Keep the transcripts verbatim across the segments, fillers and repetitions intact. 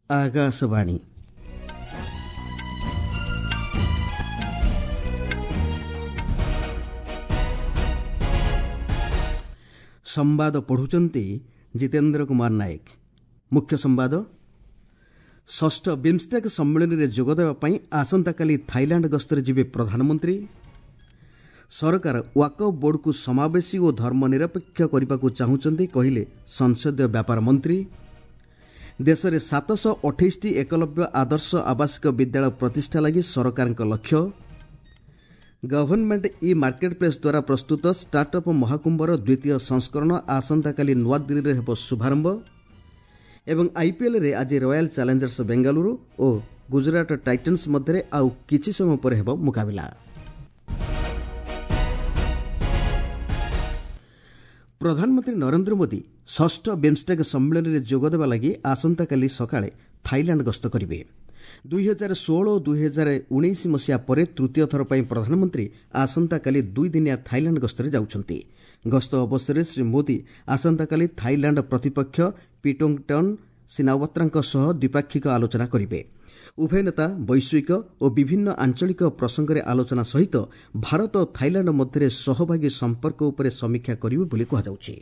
ଆକାଶବାଣୀ। ସମ୍ବାଦ ପଢ଼ୁଛନ୍ତି ଜିତେନ୍ଦ୍ର କୁମାର ନାୟକ। ମୁଖ୍ୟ ସମ୍ବାଦ। ଷଷ୍ଠ ବିମ୍ଷ୍ଟେକ୍ ସମ୍ମିଳନୀରେ ଯୋଗଦେବା ପାଇଁ ଆସନ୍ତାକାଲି ଥାଇଲାଣ୍ଡ ଗସ୍ତରେ ଯିବେ ପ୍ରଧାନମନ୍ତ୍ରୀ। ସରକାର ୱାକଫ୍ ବୋର୍ଡକୁ ସମାବେଶୀ ଓ ଧର୍ମନିରପେକ୍ଷ କରିବାକୁ ଚାହୁଁଛନ୍ତି, କହିଲେ ସଂସଦୀୟ ବ୍ୟାପାର ମନ୍ତ୍ରୀ। ଦେଶରେ ସାତଶହ ଅଠେଇଶଟି ଏକଲବ୍ୟ ଆଦର୍ଶ ଆବାସିକ ବିଦ୍ୟାଳୟ ପ୍ରତିଷ୍ଠା ଲାଗି ସରକାରଙ୍କ ଲକ୍ଷ୍ୟ। ଗଭର୍ଣ୍ଣମେଣ୍ଟ ଇ ମାର୍କେଟ ପ୍ଲେସ୍ ଦ୍ୱାରା ପ୍ରସ୍ତୁତ ଷ୍ଟାର୍ଟଅପ୍ ମହାକୁମ୍ଭର ଦ୍ୱିତୀୟ ସଂସ୍କରଣ ଆସନ୍ତାକାଲି ନୂଆଦିଲ୍ଲୀରେ ହେବ ଶୁଭାରମ୍ଭ। ଏବଂ ଆଇପିଏଲ୍ରେ ଆଜି ରୟାଲ ଚ୍ୟାଲେଞ୍ଜର୍ସ ବେଙ୍ଗାଲୁରୁ ଓ ଗୁଜରାଟ ଟାଇଟନ୍ସ ମଧ୍ୟରେ ଆଉ କିଛି ସମୟ ପରେ ହେବ ମୁକାବିଲା। ପ୍ରଧାନମନ୍ତ୍ରୀ ନରେନ୍ଦ୍ର ମୋଦି ଷଷ୍ଠ ବିମ୍ଷ୍ଟେକ୍ ସମ୍ମିଳନୀରେ ଯୋଗଦେବା ଲାଗି ଆସନ୍ତାକାଲି ସକାଳେ ଥାଇଲାଣ୍ଡ ଗସ୍ତ କରିବେ। ଦୁଇହଜାର ଷୋହଳ ଓ ଦୁଇହଜାର ଉଣେଇଶ ମସିହା ପରେ ତୃତୀୟ ଥର ପାଇଁ ପ୍ରଧାନମନ୍ତ୍ରୀ ଆସନ୍ତାକାଲି ଦୁଇଦିନିଆ ଥାଇଲାଣ୍ଡ ଗସ୍ତରେ ଯାଉଛନ୍ତି। ଗସ୍ତ ଅବସରରେ ଶ୍ରୀ ମୋଦି ଆସନ୍ତାକାଲି ଥାଇଲାଣ୍ଡ ପ୍ରତିପକ୍ଷ ପିଟୋଙ୍ଗଟନ୍ ସିନାୱତ୍ରାଙ୍କ ସହ ଦ୍ୱିପାକ୍ଷିକ ଆଲୋଚନା କରିବେ। ଉଭୟ ନେତା ବୈଶ୍ୱିକ ଓ ବିଭିନ୍ନ ଆଞ୍ଚଳିକ ପ୍ରସଙ୍ଗରେ ଆଲୋଚନା ସହିତ ଭାରତ ଓ ଥାଇଲାଣ୍ଡ ମଧ୍ୟରେ ସହଭାଗୀ ସମ୍ପର୍କ ଉପରେ ସମୀକ୍ଷା କରିବେ ବୋଲି କୁହାଯାଉଛି।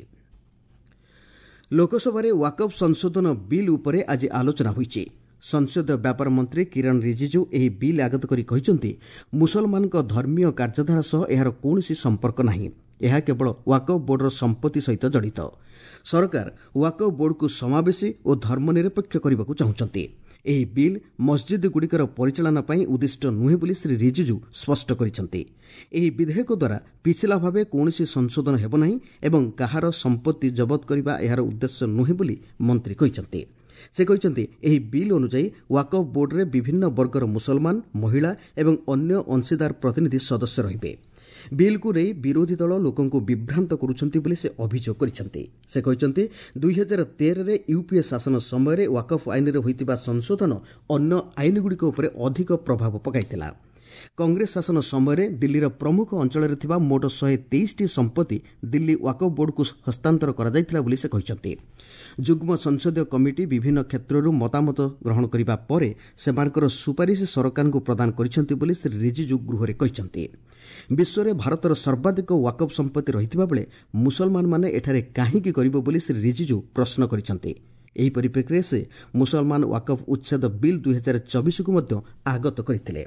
ଲୋକସଭାରେ ୱାକଫ୍ ସଂଶୋଧନ ବିଲ୍ ଉପରେ ଆଜି ଆଲୋଚନା ହୋଇଛି। ସଂସଦୀୟ ବ୍ୟାପାର ମନ୍ତ୍ରୀ କିରଣ ରିଜିଜୁ ଏହି ବିଲ୍ ଆଗତ କରି କହିଛନ୍ତି, ମୁସଲମାନଙ୍କ ଧର୍ମୀୟ କାର୍ଯ୍ୟଧାରା ସହ ଏହାର କୌଣସି ସମ୍ପର୍କ ନାହିଁ। ଏହା କେବଳ ୱାକଫ୍ ବୋର୍ଡର ସମ୍ପତ୍ତି ସହିତ ଜଡ଼ିତ। ସରକାର ୱାକଫ୍ ବୋର୍ଡକୁ ସମାବେଶୀ ଓ ଧର୍ମନିରପେକ୍ଷ କରିବାକୁ ଚାହୁଁଛନ୍ତି। ଏହି ବିଲ୍ ମସଜିଦ୍ଗୁଡ଼ିକର ପରିଚାଳନା ପାଇଁ ଉଦ୍ଦିଷ୍ଟ ନୁହେଁ ବୋଲି ଶ୍ରୀ ରିଜିଜୁ ସ୍ପଷ୍ଟ କରିଛନ୍ତି। ଏହି ବିଧେୟକ ଦ୍ୱାରା ପିଛିଲା ଭାବେ କୌଣସି ସଂଶୋଧନ ହେବ ନାହିଁ ଏବଂ କାହାର ସମ୍ପତ୍ତି ଜବତ କରିବା ଏହାର ଉଦ୍ଦେଶ୍ୟ ନୁହେଁ ବୋଲି ମନ୍ତ୍ରୀ କହିଛନ୍ତି। ସେ କହିଛନ୍ତି, ଏହି ବିଲ୍ ଅନୁଯାୟୀ ୱାକଫ୍ ବୋର୍ଡରେ ବିଭିନ୍ନ ବର୍ଗର ମୁସଲମାନ, ମହିଳା ଏବଂ ଅନ୍ୟ ଅଂଶୀଦାର ପ୍ରତିନିଧି ସଦସ୍ୟ ରହିବେ। ବିଲ୍କୁ ନେଇ ବିରୋଧୀ ଦଳ ଲୋକଙ୍କୁ ବିଭ୍ରାନ୍ତ କରୁଛନ୍ତି ବୋଲି ସେ ଅଭିଯୋଗ କରିଛନ୍ତି। ସେ କହିଛନ୍ତି, ଦୁଇହଜାର ତେରରେ ୟୁପିଏ ଶାସନ ସମୟରେ ୱାକଫ୍ ଆଇନରେ ହୋଇଥିବା ସଂଶୋଧନ ଅନ୍ୟ ଆଇନଗୁଡ଼ିକ ଉପରେ ଅଧିକ ପ୍ରଭାବ ପକାଇଥିଲା। କଂଗ୍ରେସ ଶାସନ ସମୟରେ ଦିଲ୍ଲୀର ପ୍ରମୁଖ ଅଞ୍ଚଳରେ ଥିବା ମୋଟ ଶହେ ତେଇଶଟି ସମ୍ପତ୍ତି ଦିଲ୍ଲୀ ୱାକଫ୍ ବୋର୍ଡକୁ ହସ୍ତାନ୍ତର କରାଯାଇଥିଲା ବୋଲି ସେ କହିଛନ୍ତି। ଯୁଗ୍ମ ସଂସଦୀୟ କମିଟି ବିଭିନ୍ନ କ୍ଷେତ୍ରରୁ ମତାମତ ଗ୍ରହଣ କରିବା ପରେ ସେମାନଙ୍କର ସୁପାରିଶ ସରକାରଙ୍କୁ ପ୍ରଦାନ କରିଛନ୍ତି ବୋଲି ଶ୍ରୀ ରିଜିଜୁ ଗୃହରେ କହିଛନ୍ତି। ବିଶ୍ୱରେ ଭାରତର ସର୍ବାଧିକ ୱାକଫ୍ ସମ୍ପତ୍ତି ରହିଥିବା ବେଳେ ମୁସଲମାନମାନେ ଏଠାରେ କାହିଁକି କରିବ ବୋଲି ଶ୍ରୀ ରିଜିଜୁ ପ୍ରଶ୍ନ କରିଛନ୍ତି। ଏହି ପରିପ୍ରେକ୍ଷୀରେ ସେ ମୁସଲମାନ ୱାକଫ୍ ଉଚ୍ଛେଦ ବିଲ୍ ଦୁଇହଜାର ଚବିଶକୁ ମଧ୍ୟ ଆଗତ କରିଥିଲେ।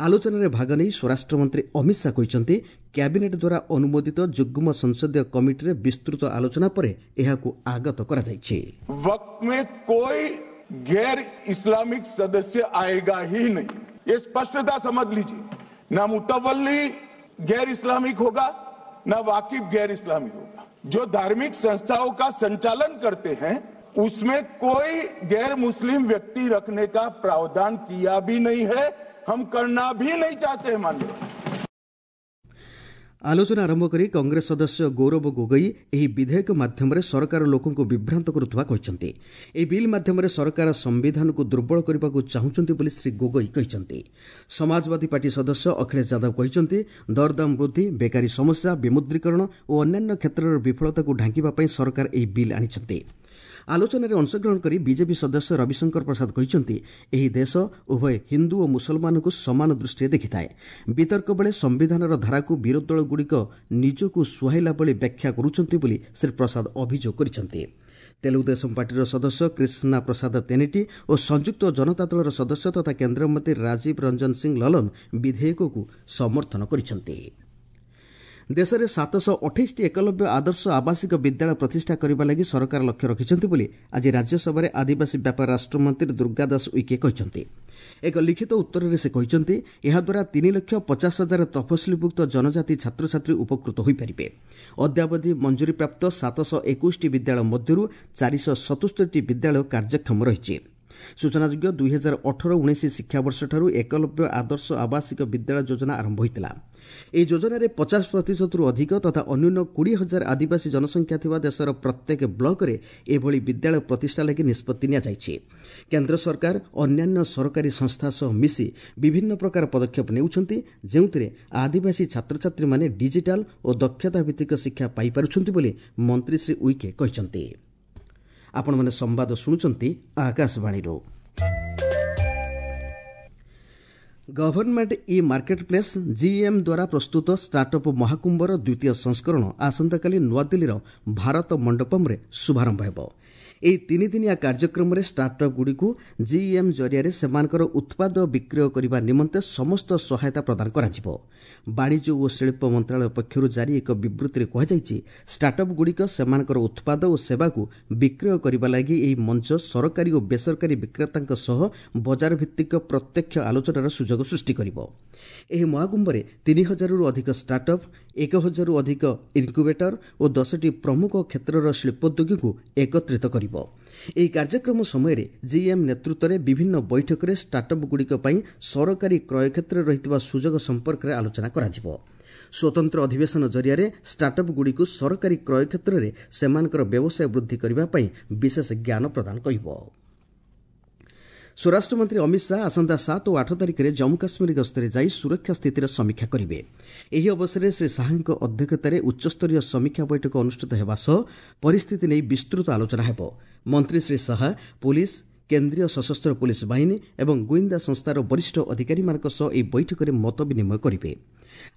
ଆଲୋଚନାରେ ଭାଗ ନେଇ ସ୍ୱରାଷ୍ଟ୍ରମନ୍ତ୍ରୀ ଅମିତ ଶାହା କହିଛନ୍ତି, କ୍ୟାବିନେଟ୍ ଦ୍ୱାରା ଅନୁମୋଦିତ ଯୁଗ୍ମ ସଂସଦୀୟ କମିଟିରେ ବିସ୍ତୃତ ଆଲୋଚନା ପରେ ଏହାକୁ ଆଗତ କରାଯାଇଛି। वक्फ में कोई गैर इस्लामिक सदस्य आएगा ही नहीं, ये स्पष्टता समझ लीजिए। ना मुतवल्ली गैर इस्लामिक होगा, ना वाकिफ गैर इस्लामिक होगा। जो धार्मिक संस्थाओं का संचालन करते हैं उसमें कोई गैर मुस्लिम व्यक्ति रखने का प्रावधान किया भी नहीं है, हम करना भी नहीं चाहते हैं। माननीय ଆଲୋଚନା ଆରମ୍ଭ କରି କଂଗ୍ରେସ ସଦସ୍ୟ ଗୌରବ ଗୋଗୋଇ ଏହି ବିଧେୟକ ମାଧ୍ୟମରେ ସରକାର ଲୋକଙ୍କୁ ବିଭ୍ରାନ୍ତ କରୁଥିବା କହିଛନ୍ତି। ଏହି ବିଲ୍ ମାଧ୍ୟମରେ ସରକାର ସମ୍ବିଧାନକୁ ଦୁର୍ବଳ କରିବାକୁ ଚାହୁଁଛନ୍ତି ବୋଲି ଶ୍ରୀ ଗୋଗୋଇ କହିଛନ୍ତି। ସମାଜବାଦୀ ପାର୍ଟି ସଦସ୍ୟ ଅଖିଳେଶ ଯାଦବ କହିଛନ୍ତି, ଦରଦାମ ବୃଦ୍ଧି, ବେକାରୀ ସମସ୍ୟା, ବିମୁଦ୍ରୀକରଣ ଓ ଅନ୍ୟାନ୍ୟ କ୍ଷେତ୍ରର ବିଫଳତାକୁ ଢାଙ୍କିବା ପାଇଁ ସରକାର ଏହି ବିଲ୍ ଆଣିଛନ୍ତି। ଆଲୋଚନାରେ ଅଂଶଗ୍ରହଣ କରି ବିଜେପି ସଦସ୍ୟ ରବିଶଙ୍କର ପ୍ରସାଦ କହିଛନ୍ତି, ଏହି ଦେଶ ଉଭୟ ହିନ୍ଦୁ ଓ ମୁସଲମାନଙ୍କୁ ସମାନ ଦୃଷ୍ଟିରେ ଦେଖିଥାଏ। ବିତର୍କ ବେଳେ ସମ୍ବିଧାନର ଧାରାକୁ ବିରୋଧୀ ଦଳଗୁଡ଼ିକ ନିଜକୁ ସୁହାଇଲା ଭଳି ବ୍ୟାଖ୍ୟା କରୁଛନ୍ତି ବୋଲି ଶ୍ରୀ ପ୍ରସାଦ ଅଭିଯୋଗ କରିଛନ୍ତି। ତେଲୁଗୁଦେଶମ ପାର୍ଟିର ସଦସ୍ୟ କ୍ରିଷ୍ଣା ପ୍ରସାଦ ତେନେଟି ଓ ସଂଯୁକ୍ତ ଜନତା ଦଳର ସଦସ୍ୟ ତଥା କେନ୍ଦ୍ରମନ୍ତ୍ରୀ ରାଜୀବ ରଞ୍ଜନ ସିଂ ଲଲନ ବିଧେୟକକୁ ସମର୍ଥନ କରିଛନ୍ତି। ଦେଶରେ ସାତଶହ ଅଠେଇଶଟି ଏକଲବ୍ୟ ଆଦର୍ଶ ଆବାସିକ ବିଦ୍ୟାଳୟ ପ୍ରତିଷ୍ଠା କରିବା ଲାଗି ସରକାର ଲକ୍ଷ୍ୟ ରଖିଛନ୍ତି ବୋଲି ଆଜି ରାଜ୍ୟସଭାରେ ଆଦିବାସୀ ବ୍ୟାପାର ରାଷ୍ଟ୍ରମନ୍ତ୍ରୀ ଦୁର୍ଗା ଦାସ ଉଇକେ କହିଛନ୍ତି। ଏକ ଲିଖିତ ଉତ୍ତରରେ ସେ କହିଛନ୍ତି, ଏହାଦ୍ୱାରା ତିନି ଲକ୍ଷ ପଚାଶ ହଜାର ତଫସିଲଭୁକ୍ତ ଜନଜାତି ଛାତ୍ରଛାତ୍ରୀ ଉପକୃତ ହୋଇପାରିବେ। ଅଦ୍ୟାବଧି ମଞ୍ଜୁରୀପ୍ରାପ୍ତ ସାତଶହ ଏକୋଇଶଟି ବିଦ୍ୟାଳୟ ମଧ୍ୟରୁ ଚାରିଶହ ସତସ୍ତରୀଟି ବିଦ୍ୟାଳୟ କାର୍ଯ୍ୟକ୍ଷମ ରହିଛି। ସୂଚନାଯୋଗ୍ୟ, ଦୁଇହଜାର ଅଠର ଉଣେଇଶ ଶିକ୍ଷାବର୍ଷଠାରୁ ଏକଲବ୍ୟ ଆଦର୍ଶ ଆବାସିକ ବିଦ୍ୟାଳୟ ଯୋଜନା ଆରମ୍ଭ ହୋଇଥିଲା। ଏହି ଯୋଜନାରେ ପଚାଶ ପ୍ରତିଶତରୁ ଅଧିକ ତଥା ଅନ୍ୟୁନ କୋଡ଼ିଏ ହଜାର ଆଦିବାସୀ ଜନସଂଖ୍ୟା ଥିବା ଦେଶର ପ୍ରତ୍ୟେକ ବ୍ଲକରେ ଏଭଳି ବିଦ୍ୟାଳୟ ପ୍ରତିଷ୍ଠା ଲାଗି ନିଷ୍ପତ୍ତି ନିଆଯାଇଛି। କେନ୍ଦ୍ର ସରକାର ଅନ୍ୟାନ୍ୟ ସରକାରୀ ସଂସ୍ଥା ସହ ମିଶି ବିଭିନ୍ନ ପ୍ରକାର ପଦକ୍ଷେପ ନେଉଛନ୍ତି, ଯେଉଁଥିରେ ଆଦିବାସୀ ଛାତ୍ରଛାତ୍ରୀମାନେ ଡିଜିଟାଲ ଓ ଦକ୍ଷତା ଭିତ୍ତିକ ଶିକ୍ଷା ପାଇପାରୁଛନ୍ତି ବୋଲି ମନ୍ତ୍ରୀ ଶ୍ରୀ ଉଇକେ କହିଛନ୍ତି। ଆପଣମାନେ ସମ୍ବାଦ ଶୁଣୁଛନ୍ତି ଆକାଶବାଣୀରୁ। Government e market place GeM ଦ୍ୱାରା ପ୍ରସ୍ତୁତ ଷ୍ଟାର୍ଟଅପ୍ ମହାକୁମ୍ଭର ଦ୍ୱିତୀୟ ସଂସ୍କରଣ ଆସନ୍ତାକାଲି ନୂଆଦିଲ୍ଲୀର ଭାରତ ମଣ୍ଡପମ୍ରେ ଶୁଭାରମ୍ଭ ହେବ। ଏହି ତିନିଦିନିଆ କାର୍ଯ୍ୟକ୍ରମରେ ଷ୍ଟାର୍ଟଅପ୍ଗୁଡ଼ିକୁ ଜିଇଏମ୍ ଜରିଆରେ ସେମାନଙ୍କର ଉତ୍ପାଦ ବିକ୍ରୟ କରିବା ନିମନ୍ତେ ସମସ୍ତ ସହାୟତା ପ୍ରଦାନ କରାଯିବ। ବାଣିଜ୍ୟ ଓ ଶିଳ୍ପ ମନ୍ତ୍ରଣାଳୟ ପକ୍ଷରୁ ଜାରି ଏକ ବିବୃତ୍ତିରେ କୁହାଯାଇଛି, ଷ୍ଟାର୍ଟଅପ୍ଗୁଡ଼ିକ ସେମାନଙ୍କର ଉତ୍ପାଦ ଓ ସେବାକୁ ବିକ୍ରୟ କରିବା ଲାଗି ଏହି ମଞ୍ଚ ସରକାରୀ ଓ ବେସରକାରୀ ବିକ୍ରେତାଙ୍କ ସହ ବଜାର ଭିତ୍ତିକ ପ୍ରତ୍ୟକ୍ଷ ଆଲୋଚନାର ସୁଯୋଗ ସୃଷ୍ଟି କରିବ। ଏହି ମହାକୁମ୍ଭରେ ତିନି ହଜାରରୁ ଅଧିକ ଷ୍ଟାର୍ଟଅପ୍, ଏକ ହଜାରରୁ ଅଧିକ ଇନ୍କ୍ୟୁବେଟର ଓ ଦଶଟି ପ୍ରମୁଖ କ୍ଷେତ୍ରର ଶିଳ୍ପୋଦ୍ୟୋଗୀଙ୍କୁ ଏକତ୍ରିତ କରିବ। ଏହି କାର୍ଯ୍ୟକ୍ରମ ସମୟରେ ଜିଏମ୍ ନେତୃତ୍ୱରେ ବିଭିନ୍ନ ବୈଠକରେ ଷ୍ଟାର୍ଟଅପ୍ଗୁଡ଼ିକ ପାଇଁ ସରକାରୀ କ୍ରୟ କ୍ଷେତ୍ରରେ ରହିଥିବା ସୁଯୋଗ ସମ୍ପର୍କରେ ଆଲୋଚନା କରାଯିବ। ସ୍ୱତନ୍ତ୍ର ଅଧିବେଶନ ଜରିଆରେ ଷ୍ଟାର୍ଟଅପ୍ଗୁଡ଼ିକୁ ସରକାରୀ କ୍ରୟ କ୍ଷେତ୍ରରେ ସେମାନଙ୍କର ବ୍ୟବସାୟ ବୃଦ୍ଧି କରିବା ପାଇଁ ବିଶେଷ ଜ୍ଞାନ ପ୍ରଦାନ କରିବ। ସ୍ୱରାଷ୍ଟ୍ରମନ୍ତ୍ରୀ ଅମିତ ଶାହା ଆସନ୍ତା ସାତ ଓ ଆଠ ତାରିଖରେ ଜମ୍ମୁ କାଶ୍ମୀର ଗସ୍ତରେ ଯାଇ ସୁରକ୍ଷା ସ୍ଥିତିର ସମୀକ୍ଷା କରିବେ। ଏହି ଅବସରରେ ଶ୍ରୀ ଶାହାଙ୍କ ଅଧ୍ୟକ୍ଷତାରେ ଉଚ୍ଚସ୍ତରୀୟ ସମୀକ୍ଷା ବୈଠକ ଅନୁଷ୍ଠିତ ହେବା ସହ ପରିସ୍ଥିତି ନେଇ ବିସ୍ତୃତ ଆଲୋଚନା ହେବ। ମନ୍ତ୍ରୀ ଶ୍ରୀ ଶାହା ପୋଲିସ, କେନ୍ଦ୍ରୀୟ ସଶସ୍ତ୍ର ପୋଲିସ ବାହିନୀ ଏବଂ ଗୁଇନ୍ଦା ସଂସ୍ଥାର ବରିଷ୍ଠ ଅଧିକାରୀମାନଙ୍କ ସହ ଏହି ବୈଠକରେ ମତ ବିନିମୟ କରିବେ।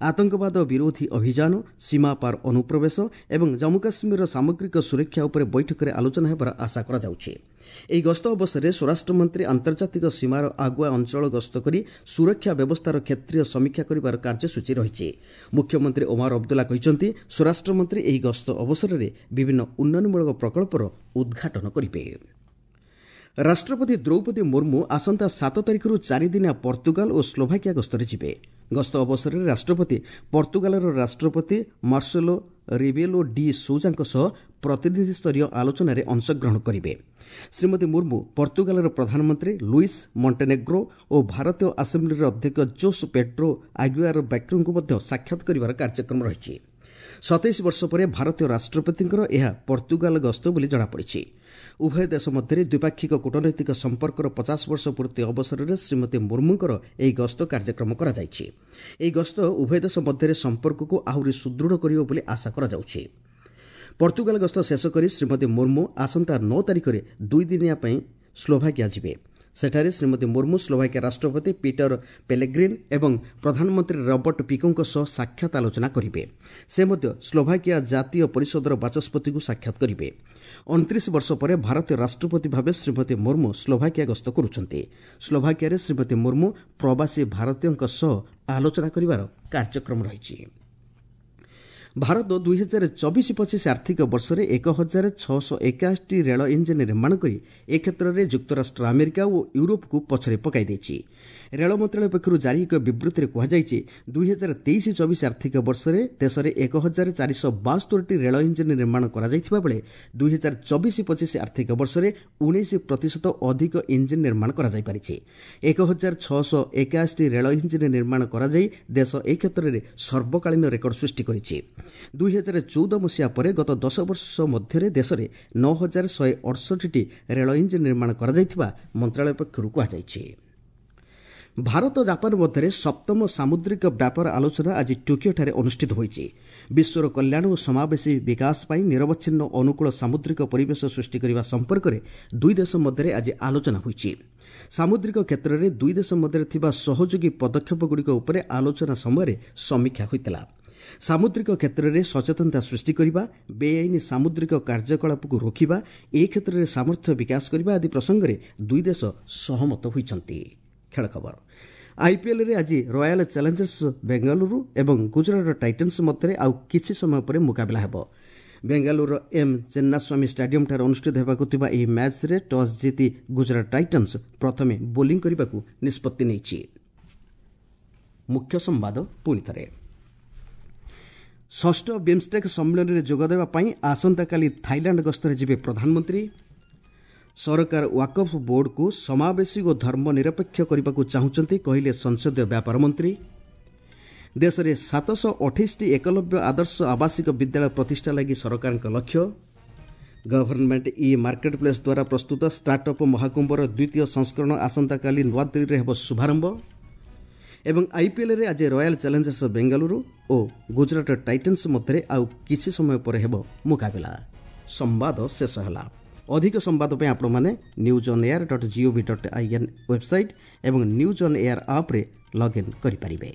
ଆତଙ୍କବାଦ ବିରୋଧୀ ଅଭିଯାନ, ସୀମାପାର ଅନୁପ୍ରବେଶ ଏବଂ ଜମ୍ମୁ କାଶ୍ମୀରର ସାମଗ୍ରିକ ସୁରକ୍ଷା ଉପରେ ବୈଠକରେ ଆଲୋଚନା ହେବାର ଆଶା କରାଯାଉଛି। ଏହି ଗସ୍ତ ଅବସରରେ ସ୍ୱରାଷ୍ଟ୍ରମନ୍ତ୍ରୀ ଆନ୍ତର୍ଜାତିକ ସୀମାର ଆଗୁଆ ଅଞ୍ଚଳ ଗସ୍ତ କରି ସୁରକ୍ଷା ବ୍ୟବସ୍ଥାର କ୍ଷେତ୍ରୀୟ ସମୀକ୍ଷା କରିବାର କାର୍ଯ୍ୟସୂଚୀ ରହିଛି। ମୁଖ୍ୟମନ୍ତ୍ରୀ ଓମାର ଅବଦୁଲ୍ଲା କହିଛନ୍ତି, ସ୍ୱରାଷ୍ଟ୍ରମନ୍ତ୍ରୀ ଏହି ଗସ୍ତ ଅବସରରେ ବିଭିନ୍ନ ଉନ୍ନୟନମୂଳକ ପ୍ରକଳ୍ପର ଉଦ୍ଘାଟନ କରିବେ। ରାଷ୍ଟ୍ରପତି ଦ୍ରୌପଦୀ ମୁର୍ମୁ ଆସନ୍ତା ସାତ ତାରିଖରୁ ଚାରିଦିନିଆ ପର୍ତ୍ତୁଗାଲ ଓ ସ୍ଲୋଭାକିଆ ଗସ୍ତରେ ଯିବେ। ଗସ୍ତ ଅବସରରେ ରାଷ୍ଟ୍ରପତି ପର୍ତ୍ତୁଗାଲର ରାଷ୍ଟ୍ରପତି ମାର୍ସେଲୋ ରିବେଲୋ ଡି ସୌଜାଙ୍କ ସହ ପ୍ରତିନିଧିସ୍ତରୀୟ ଆଲୋଚନାରେ ଅଂଶଗ୍ରହଣ କରିବେ। ଶ୍ରୀମତୀ ମୁର୍ମୁ ପର୍ତ୍ତୁଗାଲର ପ୍ରଧାନମନ୍ତ୍ରୀ ଲୁଇସ୍ ମଣ୍ଟେନେଗ୍ରୋ ଓ ଭାରତୀୟ ଆସେମ୍ବ୍ଲିର ଅଧ୍ୟକ୍ଷ ଜୋସ୍ ପେଡ୍ରୋ ଆଗୁଆର ବ୍ୟାକ୍ରୋଙ୍କୁ ମଧ୍ୟ ସାକ୍ଷାତ କରିବାର କାର୍ଯ୍ୟକ୍ରମ ରହିଛି। ସତେଇଶ ବର୍ଷ ପରେ ଭାରତୀୟ ରାଷ୍ଟ୍ରପତିଙ୍କର ଏହା ପର୍ତ୍ତୁଗାଲ ଗସ୍ତ ବୋଲି ଜଣାପଡ଼ିଛି। ଉଭୟ ଦେଶ ମଧ୍ୟରେ ଦ୍ୱିପାକ୍ଷିକ କୂଟନୈତିକ ସମ୍ପର୍କର ପଚାଶ ବର୍ଷ ପୂର୍ତ୍ତି ଅବସରରେ ଶ୍ରୀମତୀ ମୁର୍ମୁଙ୍କର ଏହି ଗସ୍ତ କାର୍ଯ୍ୟକ୍ରମ କରାଯାଇଛି। ଏହି ଗସ୍ତ ଉଭୟ ଦେଶ ମଧ୍ୟରେ ସମ୍ପର୍କକୁ ଆହୁରି ସୁଦୃଢ଼ କରିବ ବୋଲି ଆଶା କରାଯାଉଛି। ପର୍ତ୍ତୁଗାଲ ଗସ୍ତ ଶେଷ କରି ଶ୍ରୀମତୀ ମୁର୍ମୁ ଆସନ୍ତା ନଅ ତାରିଖରେ ଦୁଇଦିନିଆ ପାଇଁ ସ୍ଲୋଭାକିଆ ଯିବେ। ସେଠାରେ ଶ୍ରୀମତୀ ମୁର୍ମୁ ସ୍ଲୋଭାକିଆ ରାଷ୍ଟ୍ରପତି ପିଟର ପେଲେଗ୍ରିନ୍ ଏବଂ ପ୍ରଧାନମନ୍ତ୍ରୀ ରବର୍ଟ ପିକୋଙ୍କ ସହ ସାକ୍ଷାତ ଆଲୋଚନା କରିବେ। ସେ ମଧ୍ୟ ସ୍ଲୋଭାକିଆ ଜାତୀୟ ପରିଷଦର ବାଚସ୍ପତିଙ୍କୁ ସାକ୍ଷାତ କରିବେ। ଅଣତିରିଶ ବର୍ଷ ପରେ ଭାରତୀୟ ରାଷ୍ଟ୍ରପତି ଭାବେ ଶ୍ରୀମତୀ ମୁର୍ମୁ ସ୍ଲୋଭାକିଆ ଗସ୍ତ କରୁଛନ୍ତି। ସ୍ଲୋଭାକିଆରେ ଶ୍ରୀମତୀ ମୁର୍ମୁ ପ୍ରବାସୀ ଭାରତୀୟଙ୍କ ସହ ଆଲୋଚନା କରିବାର କାର୍ଯ୍ୟକ୍ରମ ରହିଛି। ଭାରତ ଦୁଇ ହଜାର ଚବିଶ ପଚିଶ ଆର୍ଥିକ ବର୍ଷରେ ଏକ ହଜାର ଛଅଶହ ଏକାଅଶୀଟି ରେଳ ଇଞ୍ଜିନ୍ ନିର୍ମାଣ କରି ଏ କ୍ଷେତ୍ରରେ ଯୁକ୍ତରାଷ୍ଟ୍ର ଆମେରିକା ଓ ୟୁରୋପକୁ ପଛରେ ପକାଇ ଦେଇଛି। ରେଳ ମନ୍ତ୍ରଣାଳୟ ପକ୍ଷରୁ ଜାରି ଏକ ବିବୃତ୍ତିରେ କୁହାଯାଇଛି, ଦୁଇ ହଜାର ତେଇଶ ଚବିଶ ଆର୍ଥିକ ବର୍ଷରେ ଦେଶରେ ଏକ ହଜାର ଚାରିଶହ ବାସ୍ତୋରିଟି ରେଳ ଇଞ୍ଜିନ୍ ନିର୍ମାଣ କରାଯାଇଥିବା ବେଳେ ଦୁଇ ହଜାର ଚବିଶ ପଚିଶ ଆର୍ଥିକ ବର୍ଷରେ ଉଣେଇଶ ପ୍ରତିଶତ ଅଧିକ ଇଞ୍ଜିନ୍ ନିର୍ମାଣ କରାଯାଇପାରିଛି। ଏକ ହଜାର ଛଅଶହ ଏକାଅଶୀଟି ରେଳ ଇଞ୍ଜିନ୍ ନିର୍ମାଣ କରାଯାଇ ଦେଶ ଏ କ୍ଷେତ୍ରରେ ସର୍ବକାଳୀନ ରେକର୍ଡ ସୃଷ୍ଟି କରିଛି। ଦୁଇ ହଜାର ଚଉଦ ମସିହା ପରେ ଗତ ଦଶ ବର୍ଷ ମଧ୍ୟରେ ଦେଶରେ ନଅ ହଜାର ଶହେ ଅଠଷଠିଟି ରେଳ ଇଞ୍ଜିନ୍ ନିର୍ମାଣ କରାଯାଇଥିବା ମନ୍ତ୍ରଣାଳୟ ପକ୍ଷରୁ କୁହାଯାଇଛି। ଭାରତ ଜାପାନ ମଧ୍ୟରେ ସପ୍ତମ ସାମୁଦ୍ରିକ ବ୍ୟାପାର ଆଲୋଚନା ଆଜି ଟୋକିଓଠାରେ ଅନୁଷ୍ଠିତ ହୋଇଛି। ବିଶ୍ୱର କଲ୍ୟାଣ ଓ ସମାବେଶୀ ବିକାଶ ପାଇଁ ନିରବଚ୍ଛିନ୍ନ ଅନୁକୂଳ ସାମୁଦ୍ରିକ ପରିବେଶ ସୃଷ୍ଟି କରିବା ସମ୍ପର୍କରେ ଦୁଇ ଦେଶ ମଧ୍ୟରେ ଆଜି ଆଲୋଚନା ହୋଇଛି। ସାମୁଦ୍ରିକ କ୍ଷେତ୍ରରେ ଦୁଇ ଦେଶ ମଧ୍ୟରେ ଥିବା ସହଯୋଗୀ ପଦକ୍ଷେପଗୁଡ଼ିକ ଉପରେ ଆଲୋଚନା ସମୟରେ ସମୀକ୍ଷା ହୋଇଥିଲା। ସାମୁଦ୍ରିକ କ୍ଷେତ୍ରରେ ସଚେତନତା ସୃଷ୍ଟି କରିବା, ବେଆଇନ ସାମୁଦ୍ରିକ କାର୍ଯ୍ୟକଳାପକୁ ରୋକିବା, ଏ କ୍ଷେତ୍ରରେ ସାମର୍ଥ୍ୟ ବିକାଶ କରିବା ଆଦି ପ୍ରସଙ୍ଗରେ ଦୁଇ ଦେଶ ସହମତ ହୋଇଛନ୍ତି। ଖେଳ ଖବର, ଆଇପିଏଲ୍ରେ ଆଜି ରୟାଲ ଚ୍ୟାଲେଞ୍ଜର୍ସ ବେଙ୍ଗାଲୁରୁ ଏବଂ ଗୁଜରାଟ ଟାଇଟନ୍ସ ମଧ୍ୟରେ ଆଉ କିଛି ସମୟ ପରେ ମୁକାବିଲା ହେବ। ବେଙ୍ଗାଲୁରୁର ଏମ୍ ଚେନ୍ନାସ୍ୱାମୀ ଷ୍ଟାଡିୟମ୍ଠାରେ ଅନୁଷ୍ଠିତ ହେବାକୁ ଥିବା ଏହି ମ୍ୟାଚ୍ରେ ଟସ୍ ଜିତି ଗୁଜରାଟ ଟାଇଟନ୍ସ ପ୍ରଥମେ ବୋଲିଂ କରିବାକୁ ନିଷ୍ପତ୍ତି ନେଇଛି। ମୁଖ୍ୟ ସମ୍ବାଦ ପୁଣି ଥରେ, ଷଷ୍ଠ ବିମ୍ଷ୍ଟେକ୍ ସମ୍ମିଳନୀରେ ଯୋଗଦେବା ପାଇଁ ଆସନ୍ତାକାଲି ଥାଇଲାଣ୍ଡ ଗସ୍ତରେ ଯିବେ ପ୍ରଧାନମନ୍ତ୍ରୀ। ସରକାର ୱାକଫ୍ ବୋର୍ଡକୁ ସମାବେଶୀ ଓ ଧର୍ମନିରପେକ୍ଷ କରିବାକୁ ଚାହୁଁଛନ୍ତି, କହିଲେ ସଂସଦୀୟ ବ୍ୟାପାର ମନ୍ତ୍ରୀ। ଦେଶରେ ସାତଶହ ଅଠେଇଶଟି ଏକଲବ୍ୟ ଆଦର୍ଶ ଆବାସିକ ବିଦ୍ୟାଳୟ ପ୍ରତିଷ୍ଠା ଲାଗି ସରକାରଙ୍କ ଲକ୍ଷ୍ୟ। ଗଭର୍ଣ୍ଣମେଣ୍ଟ ଇ ମାର୍କେଟ ପ୍ଲେସ୍ ଦ୍ୱାରା ପ୍ରସ୍ତୁତ ଷ୍ଟାର୍ଟଅପ୍ ମହାକୁମ୍ଭର ଦ୍ୱିତୀୟ ସଂସ୍କରଣ ଆସନ୍ତାକାଲି ନୂଆଦିଲ୍ଲୀରେ ହେବ ଶୁଭାରମ୍ଭ। ଏବଂ ଆଇପିଏଲ୍ରେ ଆଜି ରୟାଲ ଚ୍ୟାଲେଞ୍ଜର୍ସ ବେଙ୍ଗାଲୁରୁ ଓ ଗୁଜରାଟ ଟାଇଟନ୍ସ ମଧ୍ୟରେ ଆଉ କିଛି ସମୟ ପରେ ହେବ ମୁକାବିଲା। ସମ୍ବାଦ ଶେଷ ହେଲା। ଅଧିକ ସମ୍ବାଦ ପାଇଁ ଆପଣମାନେ news on air dot gov dot in website ଏବଂ ନ୍ୟୁଜ୍ ଅନ୍ ଏୟାର ଆପ୍ରେ ଲଗ୍ଇନ୍ କରିପାରିବେ।